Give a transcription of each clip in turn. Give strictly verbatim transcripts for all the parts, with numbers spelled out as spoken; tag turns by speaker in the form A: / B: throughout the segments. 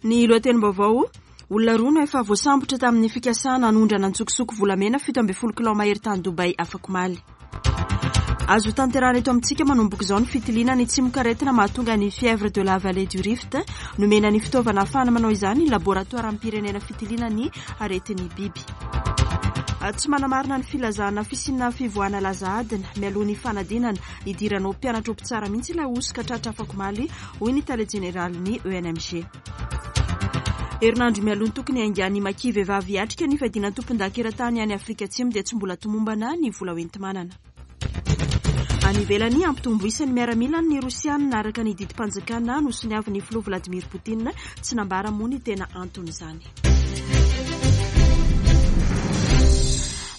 A: Ny lohatenim-baovao: olona roa no efa voasambotra tamin'ny fikasana hanondrana antsokosoko volamena fito ambin'ny folo kilao mahery tany Dubai afak'omaly. Azo tanterahana eto amintsika manomboka izao ny fitiliana ny tsimokaretina mahatonga ny fièvre de la vallée du Rift. Nomena ny fitaovana ahafahana manao izany ny laboratoaram-pirenena fitiliana ny aretin'ny biby. Tsy manamarina ny filazana fisiana fivoahana laza adina mialoha ny fanadinana hidiranao mpianatra ho mpitsara mihitsy ilay hosoka tratra afak'omaly, hoy ny tale jeneralin'ny E N M G. Herinandro mialoha ny tokony haingan'ny Maki vehivavy hiatrika ny fiadiana tompon-daka eran-tany any Afrika Atsimo dia tsy mbola tomombana ny vola hoenti-manana. Any ivelany, hampitombo isan'ny miaramila ny Rosianina araka ny didim-panjakana nosoniavin'ny filoha Vladimir Poutine. Tsy nambara moa ny tena anton'izany.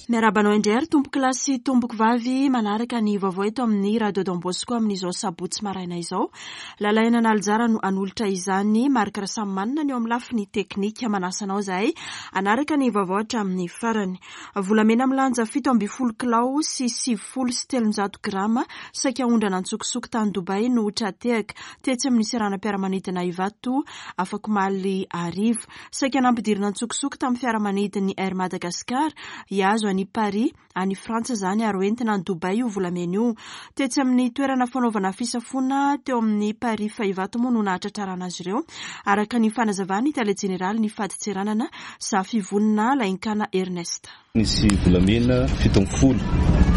A: Miarahaba anao indray ary tompoko lahy sy tompoko vavy manaraka ny vaovao eto amin'ny Radio Don Bosco amin'izao sabotsy maraina izao. Lalaina Nalijara no hanolotra izany. Marc Rasamanina ny eo amin'ny lafiny teknika. Manasa anao zahay hanaraka ny vaovao hatramin'ny farany. Volamena milanja fito ambin'ny folo kilao sy sivifolo sy telonjato grama saika hondrana antsokosoko tany Dubai no tra-tehaka tetsy amin'ny seranam-piaramanidina Ivato afak'omaly hariva. Saika nampidirina antsokosoko tamin'ny fiaramanidin'ny Air Madagascar hihazo any Paris any Frantsa izany ary hoentina any Dubai io volamena io. Tetsy amin'ny toerana fanaovana fisafoana teo amin'ny Paris Ivato moa no nahatratrarana azy ireo, araka ny fanazavan'ny tale jeneraly ny fadintseranana Zafivonina Lainkana Ernest.
B: Nisy volamena fito ambin'ny folo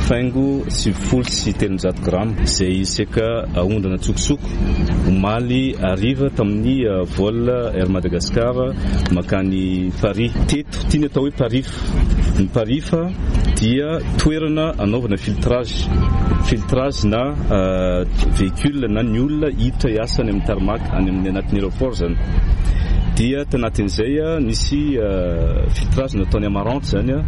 B: faingo sivifolo sy telonjato grama izay saika aondrana antsokosoko omaly hariva tamin'ny vol Air Madagascar makany Paris. Teto ity ny atao hoe parif. Ny parif dia toerana anaovana filtrage filtrage na véhicule na ny olona hiditra hiasa any amin'ny tarmac any amin'ny anatin'ny aéroport zany. Dia tanatin'izay nisy filtrage nataony Amarante zany,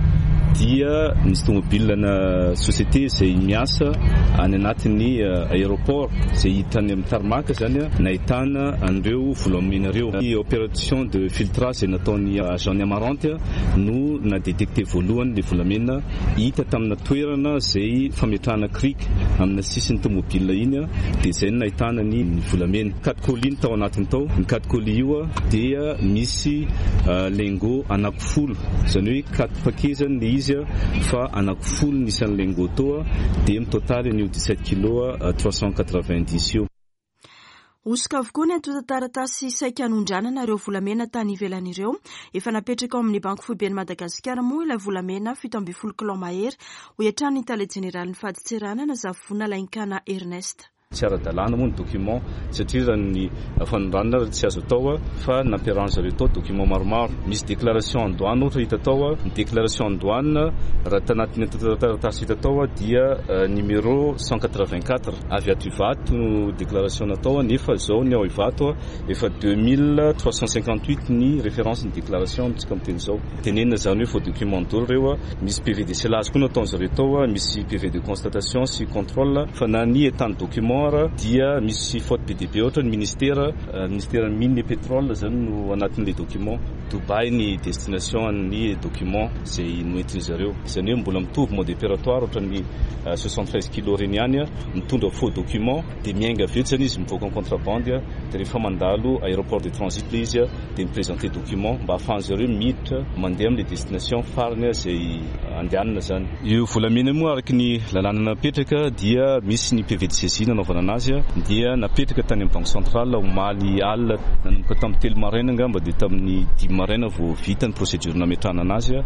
B: dia nisy tomobile na société izay miasa any anatin'ny aéroport izay hiditra any amin'ny tarmac zany nahitana an'ireo volamena ireo. Ny opération de filtrage izay nataony agent ny Amarante no na-détecté voalohany le volamena hita tamina toerana izay fametrahana cric amina sisin'ny tomobile iny, dia izay no nahitana ny volamena. Quatre colis ny tao anatiny tao. Ny quatre colis io dia misy lingot anankifolo, zany hoe quatre paquet zany le izy fa anankifolo ny isan'ny lingot tao, dia mitotaly an'io dix-sept kilo trois cent quatre-vingt-dix io.
A: Hosoka avokoa ny antontan-taratasy saika hanondranana ireo volamena tany ivelany ireo. Efa napetraka ao amin'ny Banky Foiben'i Madagasikara moa ilay volamena fito ambin'ny folo kilao mahery, hoy hatrany ny tale jeneralin'ny fadintseranana Zafivonina Lainkana Ernest.
B: Tsy ara-dalàna moa ny document satria raha ny fanondranana tsy azo atao, fa nampiarahana zareo tao document maromaro. Misy déclaration en douane ohatra hita tao. Ny déclaration en douane raha tanatin'ny antontan-taratasy hita tao dia numéro cent quatre-vingt-quatre avy ato Ivato no déclaration natao, nefa zao ny ao Ivato efa deux mille trois cent cinquante-huit ny référence ny déclaration amintsika miteny zao. Tenenina zany hoe faux document daholo reo. Misy P V de scellage koa nataon zareo tao, misy P V de constatation sy contrôle, fa na ny état ny document dia misy faute be dia be. Ohatra ny ministère ministère mine et pétrole zany no anatin'le document. Dubai ny destination ny document zay noentiny zareo, zany hoe mbola mitovy mode opératoire ohatra ny soixante-treize kilo reny ihany, mitondra faux document dia miainga avy eo zany izy mivoaka en contrebande, dia rehefa mandalo aéroport de transit le izy dia miprésenter document mba ahafahan zareo miditra mandeha amin'le destination farany zay andehanana zany. Io volamena moa, araky ny lalàna napetraka, dia misy ny P V de saisie nanaovana anazy, dia napetraka tany amin'ny banque centrale omaly alina nanomboka tamin'ny telo maraina angamba, dia tamin'ny dimy maraina vao vita ny procédure nametrahana anazy.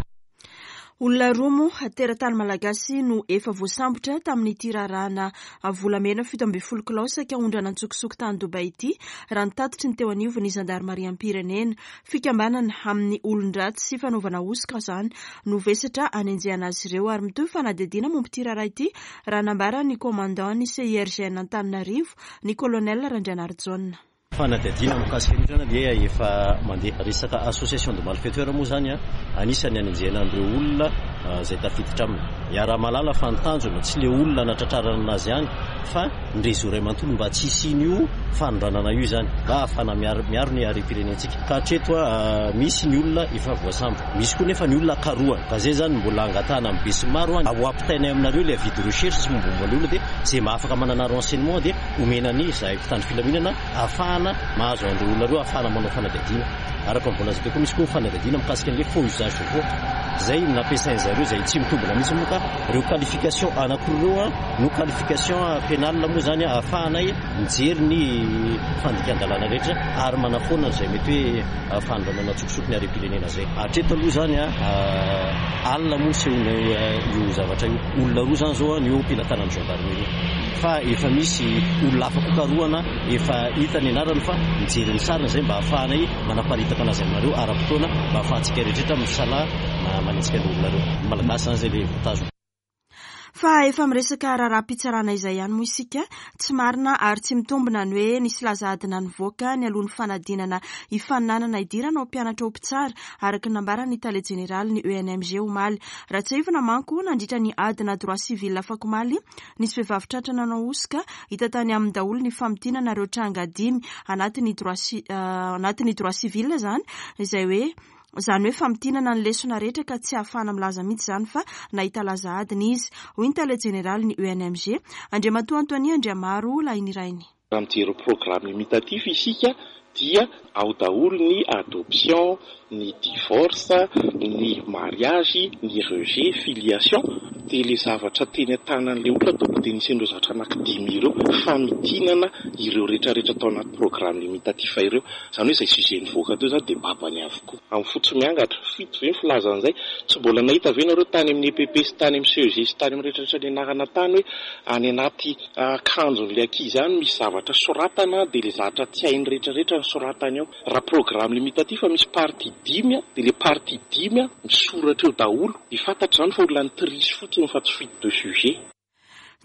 A: Olona roa moa teratany malagasy no efa voasambotra tamin'ity raharahana volamena fito ambin'ny folo kilao saika hondrana antsokosoko tany Dubai ity, raha ny tatitry ny teo anivon'ny zandarimariam-pirenena. Fikambanana amin'ny olon-dratsy sy fanaovana hosoka izany no vesatra anenjehana azy ireo, ary mitohy fanadihadiana momba ity raharaha ity, raha nambara ny commandant ny C I R G N Antananarivo, ny colonel Randrianarijaona.
C: Fanadihadiana mikasika an'io zany dia efa mandeha. Resaka association de malfaiteur moa zany a anisan'ny anenjehana an'ireo olona zay tafiditra aminy. Iaraha-mahalala fa ny tanjona tsy le olona natratrarana anazy ihany fa ny réseau ray manontolo, mba tsy hisian'io fanondranana io zany, mba ahafahana miaro miaro ny harem-pirenentsika. Ka hatreto a misy ny olona efa voasambotra, misy koa nefa ny olona karohana, ka zay zany mbola angatahana amin'ny be sy maro a ho ampitainay aminareo le avis de recherche sy mombamomba le olona, dia zay mahafaka manana renseignement dia omenany zahay mpitandro filaminana ahafahana ahafahana mahazo an'ireo olona ireo, ahafahana manao fanadihadiana. Araka ny voalaza teo koa, misy koa fanadihadiana mikasika an'ilay faux usage de faux izay nampiasain zareo, izay tsy mitombina mihitsy moa. Ka ireo qualification anankiroa ireo a no qualification pénale moa zany ahafahanay mijery ny fandikan-dalàna rehetra ary manafoana izay mety hoe fanondranana an-tsokosoko ny harem-pirenena zay. Hatreto aloha zany a alina moa sehona io zavatra io, olona roa zany zao a ny eo am-pelatanan'ny gendarmerie, fa efa misy olona hafa koa karohana, efa hita ny anarany fa mijery ny sariny zay mba ahafahanay manaparitaka anazy aminareo ara-potoana, mba ahafahantsika rehetrarehetra misalahy manenjika ny olona reo. Malagasy zany zay le voatazona.
A: Fa efa miresaka raharaham-pitsarana izay ihany moa isika. Tsy marina ary tsy mitombina ny hoe nisy laza adina nivoaka ny alohan'ny fanadinana hifaninanana hidirana ho mpianatra ho mpitsara, araka ny nambaran'ny tale jeneraly ny E N M G omaly. Raha tsiahivina manko, nandritra ny adina droit civil afakomaly, nisy vehivavy tratra nanao hosoka. Hita tany aminy daholo ny famintinana ireo tranga dimy anatin'ny droit anatin'ny droit civil zany, izay hoe zany hoe famintinana ny lesona rehetra, ka tsy ahafahana milaza mihitsy zany fa nahita laza adina izy, hoy ny tale jeneraly ny E N M G, Andriamatoa Antoine Andriamaro Lahinirainy.
D: Raha mijery programme limitatif isika dia ao daholo ny adoption, ny divorce, ny mariage, ny rejet, filiation, dia le zavatra teny an-tanan'le olona tonga dia nisy an'ireo zavatra anankidimy ireo, famintinana ireo rehetrarehetra tao anaty programme limitatif ireo. Zany hoe izay sujet nivoaka teo zany dia babany avokoa amin'ny fotsy miangatra fito ve ny filazan'izay. Tsy mbola nahita ve nareo tany amin'ny E P P sy tany amin'ny C E G sy tany amin'ny rehetrarehetra ny anarana tany hoe any anaty akanjon'le ankizy any misy zavatra soratana, dia le zavatra tsy hainy rehetrarehetra ny soratany ao? Raha programme limitatif misy partie dimy a, dia le partie dimy a misoratra eo daholo, dia fantatra zany fa olona ni-triche fotsiny fa tsy fuite de sujet.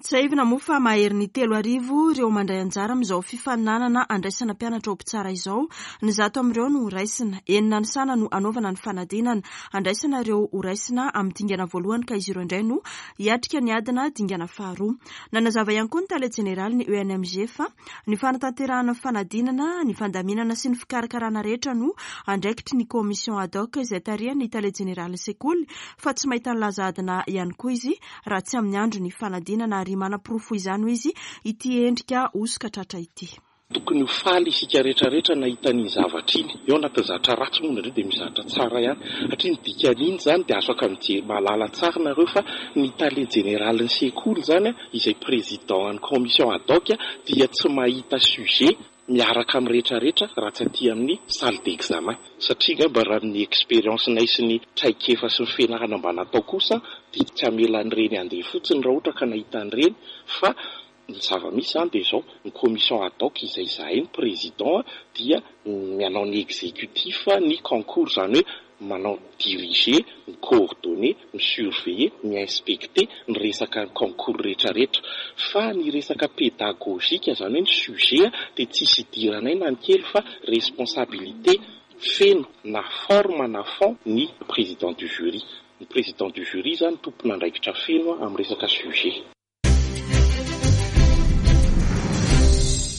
A: Tsiahivina moa fa mahery ny telo arivo ireo mandray anjara amin'izao fifaninanana andraisana mpianatra ho mpitsara izao. Ny zato amin'ireo no horaisina. Enina ny sana no anaovana ny fanadinana andraisana ireo horaisina amin'ny dingana voalohany, ka izy ireo indray no hiatrika ny adina dingana faharoa. Nanazava ihany koa ny tale jeneraly ny E N M G fa ny fanatanterahana ny fanadinana, ny fandaminana sy ny fikarakarana rehetra no andraikitry ny commission ad hoc izay tarihan'ny tale jeneraly sekoly, fa tsy mahita ny laza adina ihany koa izy raha tsy amin'ny andro ny fanadinana, ary manaporofo izany ho izy ity endrika hosoka tratra ity.
D: Tokony ho faly isika rehetrarehetra nahita ny zavatra iny eo anatin'ny zavatra ratsy moa nandreo dia misy zavatra tsara ihany, satria ny dikan'iny zany dia afaka mijery mahalala tsara nareo fa ny tale jeneralin'ny sekoly zany a, izay président an'ny commission ad hoc, dia tsy mahita sujet miaraka amin'ny rehetrarehetra raha tsy aty amin'ny salle d'examen, satria ngamba raha ny expérience nay sy ny traikefa sy ny fianarana mba natao kosa dia tsy hamela an'ireny andeha fotsiny raha ohatra ka nahita an'ireny. Fa ny zava-misy zany dia izao: ny commission ad hoc izay izahay ny président dia manao ny exécutif ny concours, zany hoe manao diriger, mi-coordonner, mi-surveiller, mi-inspecter ny resaka concours rehetrarehetra, fa ny resaka pédagogique, zany hoe ny sujet, dia tsisy idiranay na ny kely, fa responsabilité feno na forme na fond ny président du jury. Ny président du jury zany tompona andraikitra feno amin'ny resaka sujet.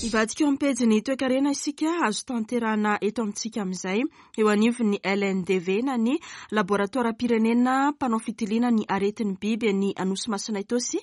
A: Ivadika eo amin'ny toekarena isika. Azo tanterahana eto amintsika amin'izay eo anivon'ny L N D V na ny laboratoara-pirenena mpanao fitiliana ny aretin'ny biby ny Anosy Masina Itaosy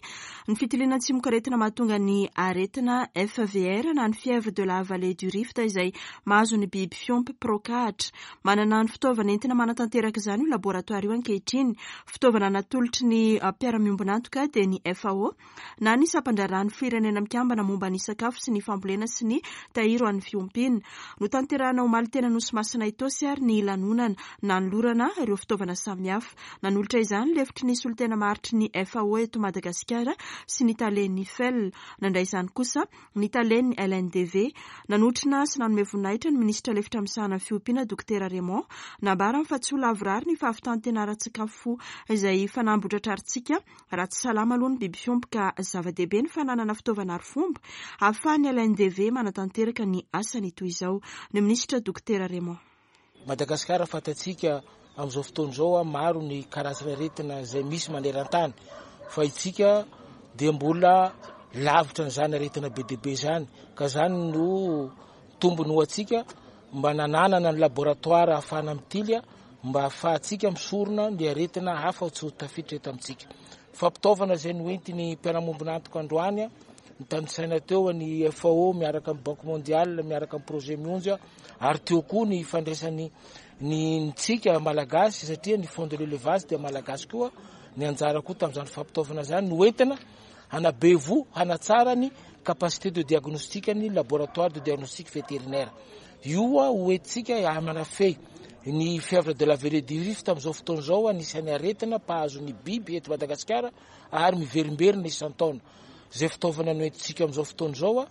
A: ny fitiliana tsimokaretina mahatonga ny aretina F V R na ny fièvre de la vallée du Rift izay mahazo ny biby fiompy mpiraokahatra. Manana ny fitaovana entina manatanteraka izany io laboratoara io ankehitriny, fitaovana natolotry ny mpiara-miombonantoka dia ny F A O na ny sampandraharahan'ny Firenena Mikambana momba ny sakafo sy ny fambolena sy ny tahiry an'ny fiompiana. Notanterahana omaly teny Anosy Masina Itaosy ary ny lanonana nanolorana ireo fitaovana samihafa. Nanolotra izany lefitry ny solontena maharitry ny F A O eto Madagasikara sy ny talen'ny F E L. Nandray izany kosa ny talen'ny L N D V. Nanotrona sy nanome voninahitra ny minisitra lefitra misahana ny fiompiana, Dokotera Raymond. Nambarany fa tsy ho lavorary ny fahavitantena ara-tsakafo izay fanamby hotratrarintsika raha tsy salama aloha ny biby fiompy, ka zava-dehibe ny fananana fitaovana ary fomba ahafahan'ny L N D V manatanteraka ny asany toy izao. Ny minisitra Dokotera Raymond.
E: Madagasikara, fantatsika amin'izao fotoana izao a maro ny karazana aretina izay misy maneran-tany, fa itsika dia mbola lavitra n'izany aretina be dehibe zany, ka zany no tombony ho atsika mba nananana ny laboratoire ahafahana mitily mba ahafahantsika misorona ny aretina hafa tsy ho tafiditra eto amintsika. Fampitaovana izay noentiny mpiara-miombonantoka androany Nitanisaina teo ny F A O miaraka amin'ny Banque Mondiale, miaraka amin'ny projet Mionja, ary teo koa ny fandraisany ny ntsika malagasy, satria ny fonds de l'élevage dia malagasy koa, ny anjara koa tamin'izany fampitaovana izany no entina hanabevo, hanatsara ny capacité de diagnostic ny laboratoire de diagnostic vétérinaire. Io ho entintsika hamanafehy ny fièvre de la vallée du Rift amin'izao fotoana izao, anisan'ny aretina mpahazo ny biby eto Madagasikara ary miverimberina isan-taona. Izay fitaovana noentintsika amin'izao fotoana izao,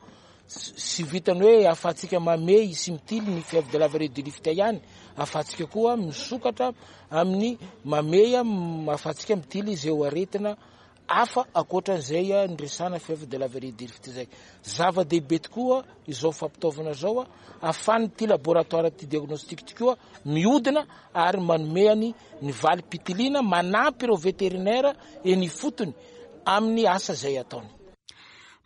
E: sy vitany hoe ahafahantsika mamehy sy mitily ny fièvre de la vallée du Rift ihany, ahafahantsika koa misokatra amin'ny mamehy, ahafahantsika mitily izay aretina hafa ankoatran'izay niresahana fièvre de la vallée du Rift izay. Zava-dehibe tokoa izao fampitaovana izao, ahafahan'ity laboratoire ity diagnostic ity koa mihodina ary manome ny ny valim-pitiliana, manampy ireo vétérinaire eny ifotony amin'ny asa izay ataony.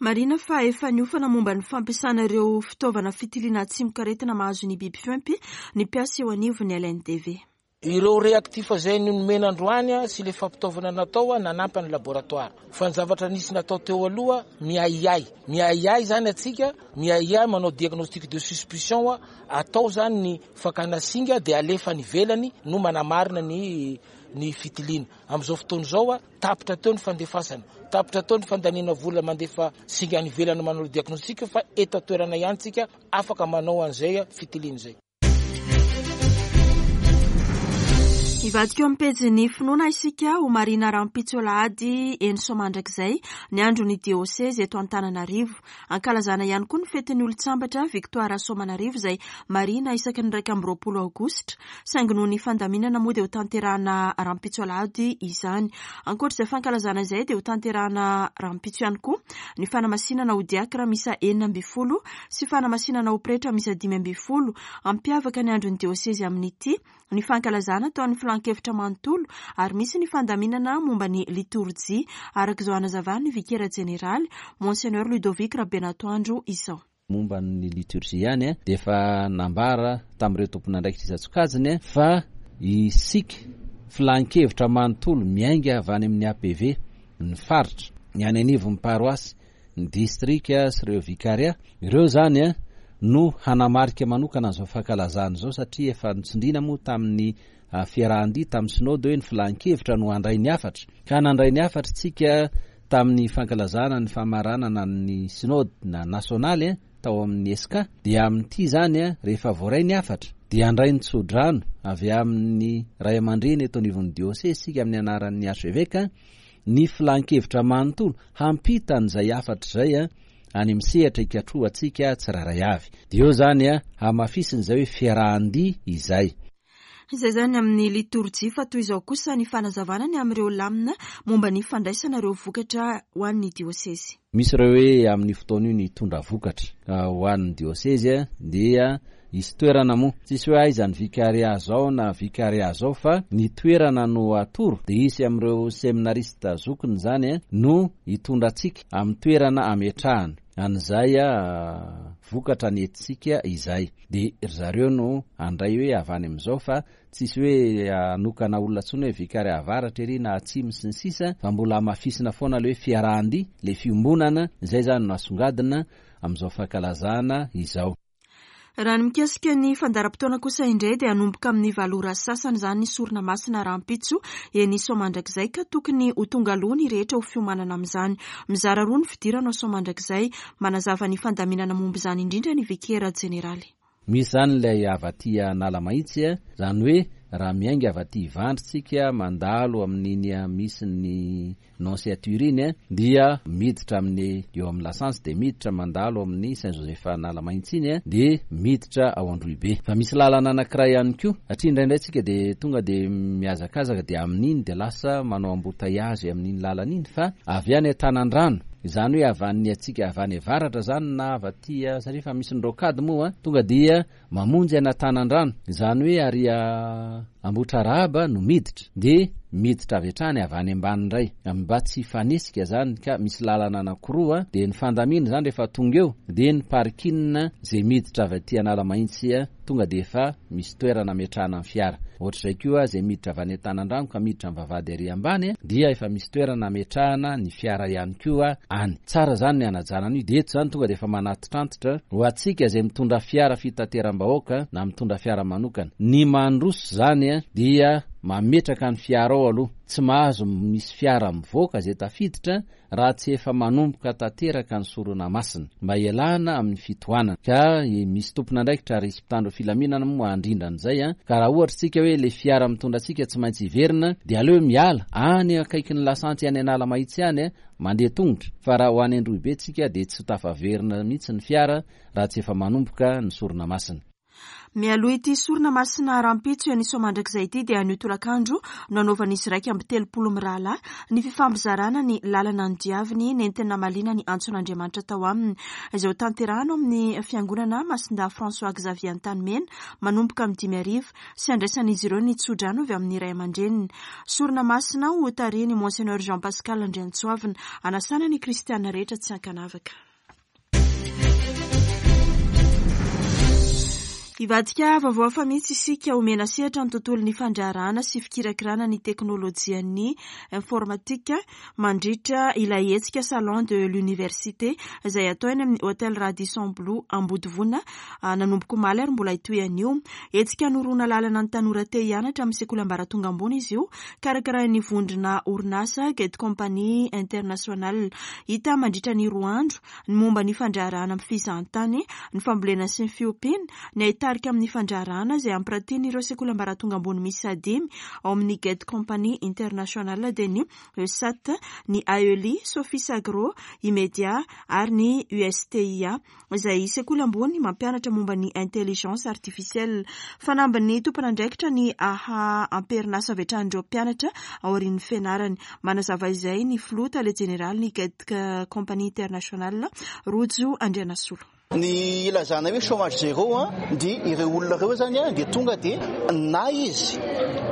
A: Marina fa efa niofana momba ny fampiasana ireo fitaovana fitiliana tsimokaretina mahazo ny biby fiompy ny mpiasa eo anivon'ny L N D V.
E: Ireo réactif izay nomena androany sy le fampitaovana natao nanampy ny laboratoire. Fa ny zavatra nisy natao teo aloha miahiahy. Miahiahy izany atsika, miahiahy manao diagnostic de suspicion, atao izany ny fakana singa dia alefa any ivelany no manamarina ny ny fitiliana. Amin'izao fotoana izao, tapitra teo ny fandefasana, tapitra teo ny fandaniana vola mandefa singa any ivelany manao diagnostic, fa eto an-toerana ihany tsika afaka manao an'izay fitiliana izay.
A: Hivadika eo amin'ny pejin'ny finoana isika ho marina rahampitso alahady eny Soamandrakizay ny andron'ny diosezy eto Antananarivo. Ankalazana ihany koa ny fetin'ny olon-tsambatra Victoire Soamanarivo izay marina isaky ny iraika amby roapolo aogositra, saingy noho ny fandaminana moa dia ho tanterahana rahampitso alahady izany. Ankoatra izay fankalazana izay dia ho tanterahana rahampitso ihany koa ny fanamasinana ho diakra miisa enina ambin'ny folo sy fanamasinana ho pretra miisa dimy ambin'ny folo. Hampiavaka ny andron'ny diosezy amin'ity ny fankalazana ataon'ny filan-kevitra manontolo ary misy ny fandaminana momba ny litorjia, araka izao anazavan'ny vikera jeneraly Monseigneur Ludovic Rabenatoandro izao.
F: Momba ny litorjia ihany dia efa nambara tamin'ireo tompon'andraikitra isan-tsokajiny fa isika filan-kevitra manontolo miainga avy any amin'ny A P V, ny faritra, ny any anivon'ny paroasy, ny distrika sy ireo vikaria, ireo zany no hanamarika manokana an'izao fankalazana izao, satria efa nitsindrina moa tamin'ny fiarahan-dia tamin'ny sinôdy hoe ny filan-kevitra no handray ny hafatra. Ka nandray ny hafatra tsika tamin'ny fankalazana ny famaranana ny sinôdy na nasionaly tao amin'ny E S C A, dia amin'ity zany rehefa voaray ny hafatra dia handray ny tsodrano avy amin'ny ray aman-dreny eto anivon'ny diôsezy isika amin'ny anaran'ny archevêque, ny filan-kevitra manontolo hampita an'izay hafatra izay any amin'ny sehatra ikatrohantsika tsirairay avy. Dia eo zany hamafisin'izay hoe fiarahan-dia izay.
A: Izay zany amin'ny litorjia, fa toy izao kosa ny fanazavana ny amin'ireo lamina momba ny fandraisana ireo vokatra ho an'ny diosezy.
F: Misy ireo hoe amin'ny fotoana io ny hitondra vokatra ho an'ny diosezy dia hisy toerana moa. Tsisy hoe aiza ny vikaria zao na vikaria zao, fa ny toerana no atoro. Dia hisy amin'ireo seminarista zokiny zany no hitondra antsika amin'ny toerana ametrahana an'izay vokatra nentintsika izay. Dia ry zareo no handray hoe avy any amin'izao, fa tsisy hoe hanokana olona intsony hoe vikaria avaratra ery na atsimo sy ny sisa, fa mbola hamafisina foana ilay hoe fiarahan-dia, ilay fiombonana, izay zany no asongadina amin'izao fankalazana izao.
A: Raha ny mikasika ny fandaharam-potoana kosa indray dia hanomboka amin'ny valo ora sasany izany ny sorona masina rahampitso eny Soamandrakizay, ka tokony ho tonga aloha ny rehetra ho fiomanana amin'izany. Mizara roa ny fidirana ao Soamandrakizay. Manazava ny fandaminana momba izany indrindra ny vikera jeneraly.
F: Misy izany ilay avy aty Analamahitsy, izany hoe raha miainga avy aty Ivandry tsika mandalo amin'iny misy ny nonciature iny, dia miditra amin'ny eo amin'ny lasantsy, dia miditra mandalo amin'ny Saint Joseph Analamahitsy iny, dia miditra ao Androhibe. Fa misy lalana anankiray ihany koa, satria indraindray tsika dia tonga dia mihazakazaka dia amin'iny dia lasa manao embouteillage amin'iny lalana iny, fa avy any Antanandrano, izany hoe avy any atsika avy any avaratra izany na avy aty, satria efa misy ny rocade moa, tonga dia mamonjy an'Antanandrano, izany hoe ary Ambohitrarahaba no miditra, dia miditra avy hatrany avy any ambany indray, mba tsy hifanesika izany, ka misy lalana anankiroa, dia ny fandamina izany rehefa tonga eo, dia ny parking izay miditra avy aty Analamahitsy tonga dia efa misy toerana ametrahana ny fiara. Ohatr'izay koa izay miditra avy any Antanandrano ka miditra amin'ny vavahady ary ambany dia efa misy toerana ametrahana ny fiara ihany koa any. Tsara izany ny hanajana an'io. Dia eto izany tonga dia efa manatitrantitra ho antsika izay mitondra fiara fitateram-bahoaka na mitondra fiara manokana. Ny mandroso izany dia mametraka ny fiara ao aloha. Tsy mahazo misy fiara mivoaka izay tafiditra raha tsy efa manomboka tanteraka ny sorona masina mba hialana amin'ny fitohanana. Ka misy tompon'andraikitra ary mpitandro filaminana moa handrindra an'izay a. Ka raha ohatra tsika hoe le fiara mitondra antsika tsy maintsy hiverina dia aleo miala any akaikin'ny lasantsy any Analamahitsy any mandeha tongotra. Fa raha ho any Androhibe tsika dia tsy tafaverina mihitsy ny fiara raha tsy efa manomboka ny sorona masina.
A: Mialoha ity sorona masina rahampitso eny Soamandrakizay ity dia anio tolakandro no nanaovan'izy iraika amby telopolo mirahalahy ny fifampizarana ny lalana nodiaviny nentina namaliana ny antson'Andriamanitra tao aminy izay ho tanterahana amin'ny fiangonana Masindahy François Xavier Antanimena manomboka amin'ny dimy ariva sy andraisan'izy ireo ny tsodrano avy amin'ny ray aman-dreniny. Sorona masina ho tarihin'i Monseigneur Jean Pascal Andriantsoavina anasana ny kristiana rehetra tsy ankanavaka. Hivadika vaovao hafa mihitsy isika omena sehatra ny tontolon'ny fandraharahana sy fikirakirana ny teknolojian'ny informatika mandritra ilay hetsika Salon de l'Université izay atao eny amin'ny Hôtel Radisson Blu Ambodivona nanomboka omaly ary mbola hitohy anio. Hetsika noroana lalana ny tanora te hianatra amin'ny sekoly ambaratonga ambony izy io, karakarain'ny vondrona orinasa Get Company International. Hita mandritra ny roa andro ny momba ny fandraharahana amin'ny fizahantany, ny fambolena sy ny fiompiana, ny tarika amin'ny fandraharahana izay ampiratian'ireo sekoly ambaratonga ambony miisa dimy ao amin'ny Get Company International dia ny E S A T, ny A E L I, Sophie Agro, Imedia ary ny U S T I A izay sekoly ambony mampianatra momba ny intelligence artificielle. Fanambin'ny tompon'andraikitra ny aha amperinasa avy hatrany ireo mpianatra aorian'ny fianarany. Manazava izay ny filoha tale jeneraly ny Get Company International, Rojo Andrianasolo.
G: Ny ilazana hoe chômage zéro a dia ireo olona ireo zany a dia tonga dia na izy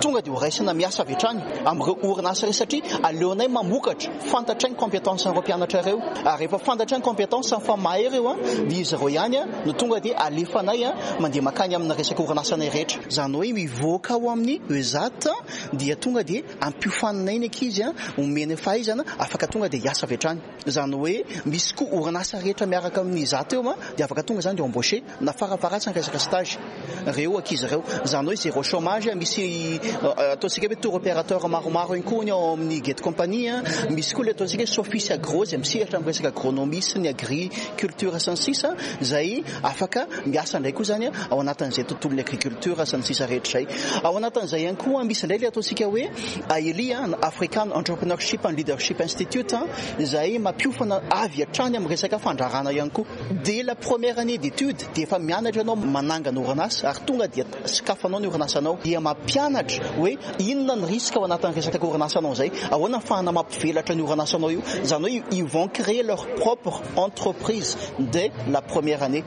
G: tonga dia horaisina miasa avy hatrany amin'ireo orinasa ireo satria aleonay mamokatra, fantatray ny compétence an'ireo mpianatra ireo ary rehefa fantatray ny compétence fa mahay ireo a dia izy ireo ihany a no tonga dia alefanay a mandeha makany amina resaka orinasanay rehetra. Izany hoe mivoaka ao amin'ny E S A T dia tonga dia ampiofaninay ny ankizy a omena fahaizana afaka tonga dia hiasa avy hatrany. Izany hoe misy koa orinasa rehetra miaraka amin'ny E S A T eo a dia afaka tonga zany dia embauché na farafaharatsiny ny resaka stage ireo ankizy ireo. Izany hoe zéro chômage, misy ataontsika hoe tour opérateur maromaro ihany koa ny ao amin'ny Get Company, misy koa ilay ataontsika hoe Sophie Agro izay misehatra amin'ny resaka agronomie sy ny agriculture sy ny sisa izay afaka miasa indray koa zany ao anatin'izay tontolon'ny agriculture sy ny sisa rehetra izay. Ao anatin'izay ihany koa misy indray ilay ataontsika hoe A E L I, African Entrepreneurship and Leadership Institute izay mampiofana avy hatrany amin'ny resaka fandraharahana ihany koa. Dès la première année d'études dia efa mianatra ianao manangana orinasa ary tonga dia sokafanao ny orinasanao dia mampianatra hoe inona ny risque ao anatin'ny resaka orinasanao izay, ahoana ny ahafahana mampivelatra ny orinasanao io. Izany hoe ils vont créer leur propre entreprise dès la première année.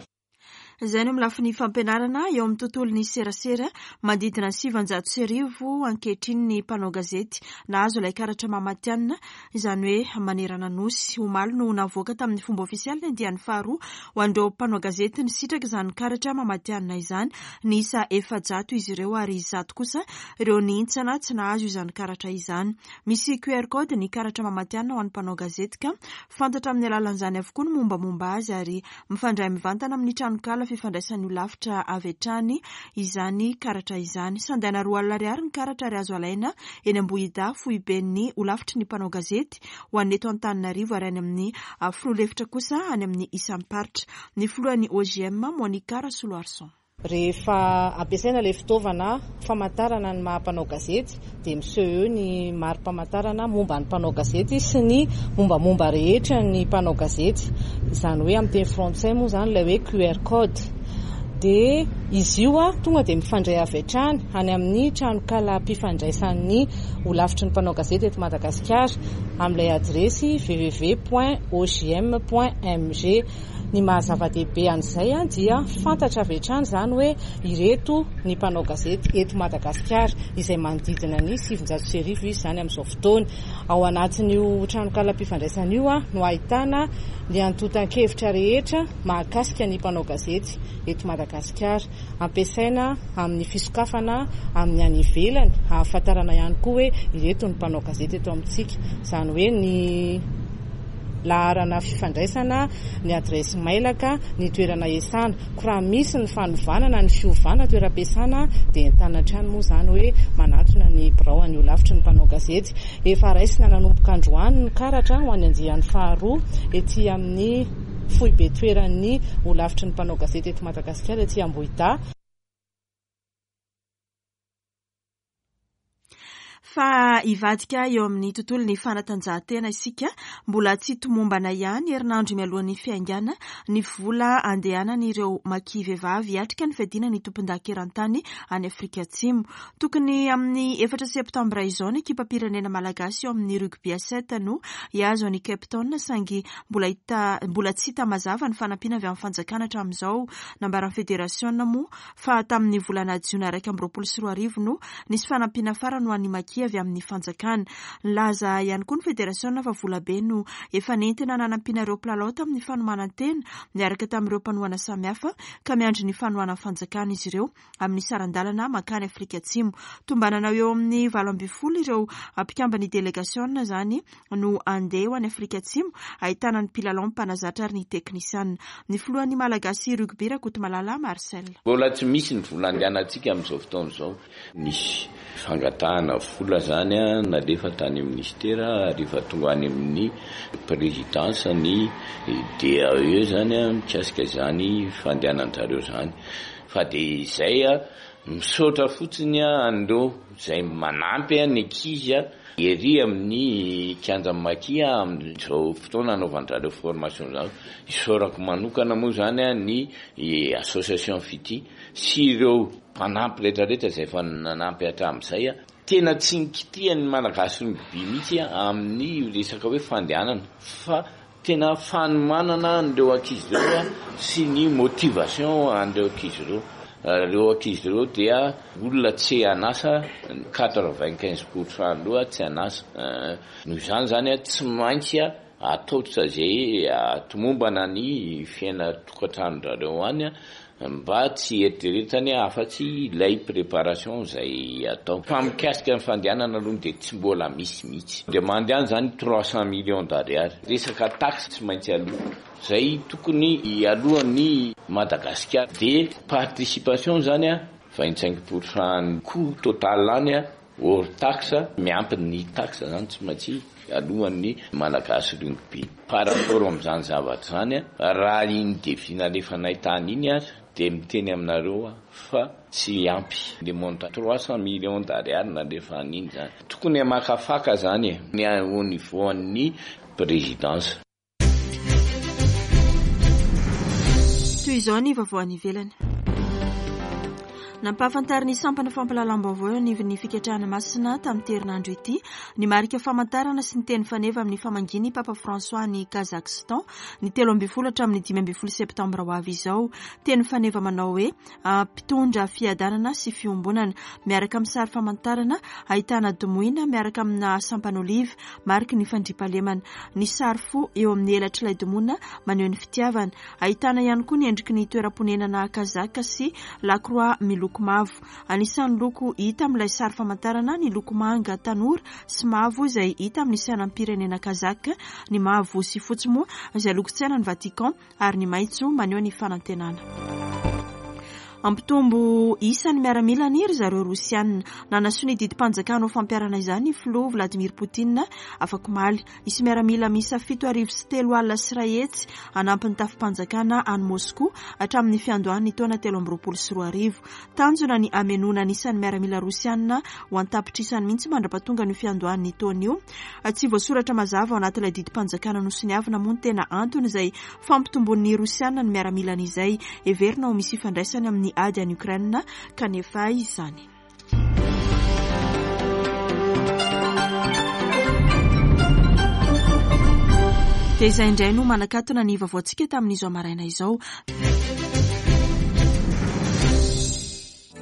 A: Izay no amin'ny lafiny fampianarana eo amin'ny tontolon'ny serasera manodidina ny sivanjato sy arivo ankehitriny ny mpanao gazety nahazo ilay karatra mamatianina, izany hoe manerana nosy. Omaly no navoaka tamin'ny fomba ofisialy ny andiany faharoa ho an'ireo mpanao gazety nisitraka izany karatra mamatianina izany. Niisa efajato izy ireo ary zato kosa ireo nihintsana tsy nahazo izany karatra izany. Misy Q R code ny karatra mamatianina ho an'ny mpanao gazety ka fantatra amin'ny alalan'izany avokoa ny mombamomba azy ary mifandray mivantana amin'ny tranonkala fifandraisan'ny holafitra avy hatrany izany karatra izany. Sandaina roa alina ariary ny karatra ary azo alaina eny Ambohidahy foiben'ny holafitry ny mpanao gazety ho an'ny eto Antananarivo ary any amin'ny filoha lefitra kosa any amin'ny isam-paritra. Ny filohan'ny O J M Monica Rasoloarison.
H: Rehefa ampiasaina ilay fitaovana famantarana ny maha mpanao gazety dia miseho eo ny mari-pamantarana momba ny mpanao gazety sy ny mombamomba rehetra ny mpanao gazety. Izany hoe amin'ny teny frantsay moa izany ilay hoe Q R code. Dia izy io a tonga dia mifandray avy hatrany any amin'ny tranokalam-pifandraisan'ny holafitry ny mpanao gazety eto Madagasikara amin'ilay adiresy w w w point o j m point m g. Ny maha zava-dehibe an'izay dia fantatra avy hatrany izany hoe ireto ny mpanao gazety eto Madagasikara izay manodidina ny sivinjato sy arivo izy izany amin'izao fotoana. Ao anatin'io tranonkalam-pifandraisana io no ahitana ny antontan-kevitra rehetra mahakasika ny mpanao gazety eto Madagasikara. Ampiasaina amin'ny fisokafana amin'ny any ivelany ahafantarana ihany koa hoe ireto ny mpanao gazety eto amintsika. Izany hoe ny laharana fifandraisana, ny adiresy mailaka, ny toerana iasana. Koa raha misy ny fanovana na ny fiovana toeram-piasana dia entanina hatrany moa izany hoe manatona ny birao an'io lafitry ny mpanao gazety. Efa raisina nanomboka androany ny karatra ho an'ny andiany faharoa ety amin'ny foibe toeran'ny holafitry ny mpanao gazety eto Madagasikara ety Ambohidahy.
A: Fa hivadika eo amin'ny tontolo ny fanatanjahantena isika. Mbola tsy tomombana ihany herinandro mialohan'ny fiaingàna ny vola andehanan'ireo maki vehivavy hiatrika ny fiadiana ny tompon-daka eran-tany any Afrika Atsimo. Tokony amin'ny efatra septambra izao ny ekipam-pirenena malagasy eo amin'ny rugby à sept no hihazo an'i Cape Town, saingy mbola hita, mbola tsy hita mazava ny fanampiana avy amin'ny fanjakana hatramin'izao. Nambaran'ny federasiona moa fa tamin'ny volana jiona iraika amby roapolo sy roa arivo no nisy fanampiana farany ho an'ny maki avy amin'ny fanjakana. Nilaza ihany koa ny federasiona fa volabe no efa nentina nanampiana ireo mpilalao tamin'ny fanomanan-tena niaraka tamin'ireo mpanohana samihafa, ka miandry ny fanohanan'ny fanjakana izy ireo amin'ny saran-dalana mankany Afrika Atsimo. Tombanana eo amin'ny valo ambin'ny folo ireo mpikambany delegasiona izany no andeha ho any Afrika Atsimo, ahitana ny mpilalao, mpanazatra ary ny teknisiana. Ny filohan'ny Malagasy Rugby, Rakotomalala Marcel.
I: Mbola tsy misy ny vola andehanantsika amin'izao fotoana izao. Nisy fangatahana vola zany nalefa tany amin'ny ministera ary efa tonga any amin'ny présidence ny D A E zany mikasika izany fandehanan-jareo zany. Fa dia izay misaotra fotsiny an'ireo izay manampy ny ankizy ery amin'ny kianja maki amin'izao fotoana anaovan-jareo formation zany. Isaorako manokana moa zany ny association Fitia sy ireo mpanampy rehetrarehetra izay efa nanampy hatramin'izay. Tena tsy nikitihan'ny Malagasy rugby mihitsy amin'ny resaka hoe fandehanana, fa tena fanomanana an'ireo ankizy ireo sy ny motivation an'ireo ankizy ireo. Ireo ankizy ireo dia olona tsy an'asa, quatre-vingt-quinze pour cent aloha tsy an'asa. Noho izany zany tsy maintsy atao izay atomombana ny fiainan-tokantranon-drareo any mba tsy eritreretany afa-tsy ilay préparation izay atao. Fa mikasika ny fandehanana aloha dia tsy mbola misy mihitsy. Dia mandeha any zany trois cents millions d'ariary. Resaka taxe tsy maintsy aloha. Izay tokony hialohan'ny Madagasikara. Dia participation zany a, vingt-cinq pour cent coût total any a, hors taxe, miampy ny taxe zany tsy maintsy alohan'ny Malagasy rugby. Par rapport amin'izany zavatra izany, raha iny devis nalefanay tany iny ary dia miteny aminareo fa tsy ampy. Le montant trois cents millions d'ariary nalefa an'iny zany. Tokony hamakafaka zany e, ny au niveau an'ny présidence.
A: Toy izao ny vaovao any ivelany. Nampahafantarin'ny sampana fampahalalam-baovao eo anivon'ny fikatrahana masina tamin'ny herinandro ity ny marika famantarana sy ny teny faneva amin'ny famangian'ny Papa François any Kazakhstan ny telo ambin'ny folo hatramin'ny dimy ambin'ny folo septambra ho avy izao. Teny faneva manao hoe mpitondra fiadanana sy fiombonana, miaraka amin'ny sary famantarana ahitana domoina miaraka amina sampan'oliva mariky ny fandriampahalemana. Ny sary fo eo amin'ny elatr'ilay domoina maneho ny fitiavana. Ahitana ihany koa ny endriky ny toeram-ponenana kazaka sy lakroa miloko mavo. Anisan'ny loko hita amin'ilay sary famantarana ny loko manga tanora sy mavo izay hita amin'ny sainam-pirenena kazaka, ny mavo sy fotsy moa izay lokon-tsainan'ny Vatican ary ny maitso maneho ny fanantenana. Ampitombo isan'ny miaramila ny ry zareo Rosiana. Nanasoa ny didim-panjakana ho fampiharana izany ny filoha Vladimir Poutine afakomaly. Hisy miaramila miisa fito arivo sy telo alina sy iray hetsy hanampy ny tafim-panjakana any Moscou hatramin'ny fiandohan'ny taona telo amby roapolo sy roa arivo. Tanjona ny hamenoana ny isan'ny miaramila Rosiana ho an-tapitrisany mihitsy mandra-pahatonga ny fiandohan'ny taona io. Tsy voasoratra mazava ao anatin'ilay didim-panjakana nosoniavina moa ny tena antony izay fampitomboan'ny Rosiana ny miaramilany izay heverina ho misy ifandraisany amin'ny ady any Ukraine kanefa izany. Dia izay indray no manakatona ny vaovaontsika tamin'izao maraina izao.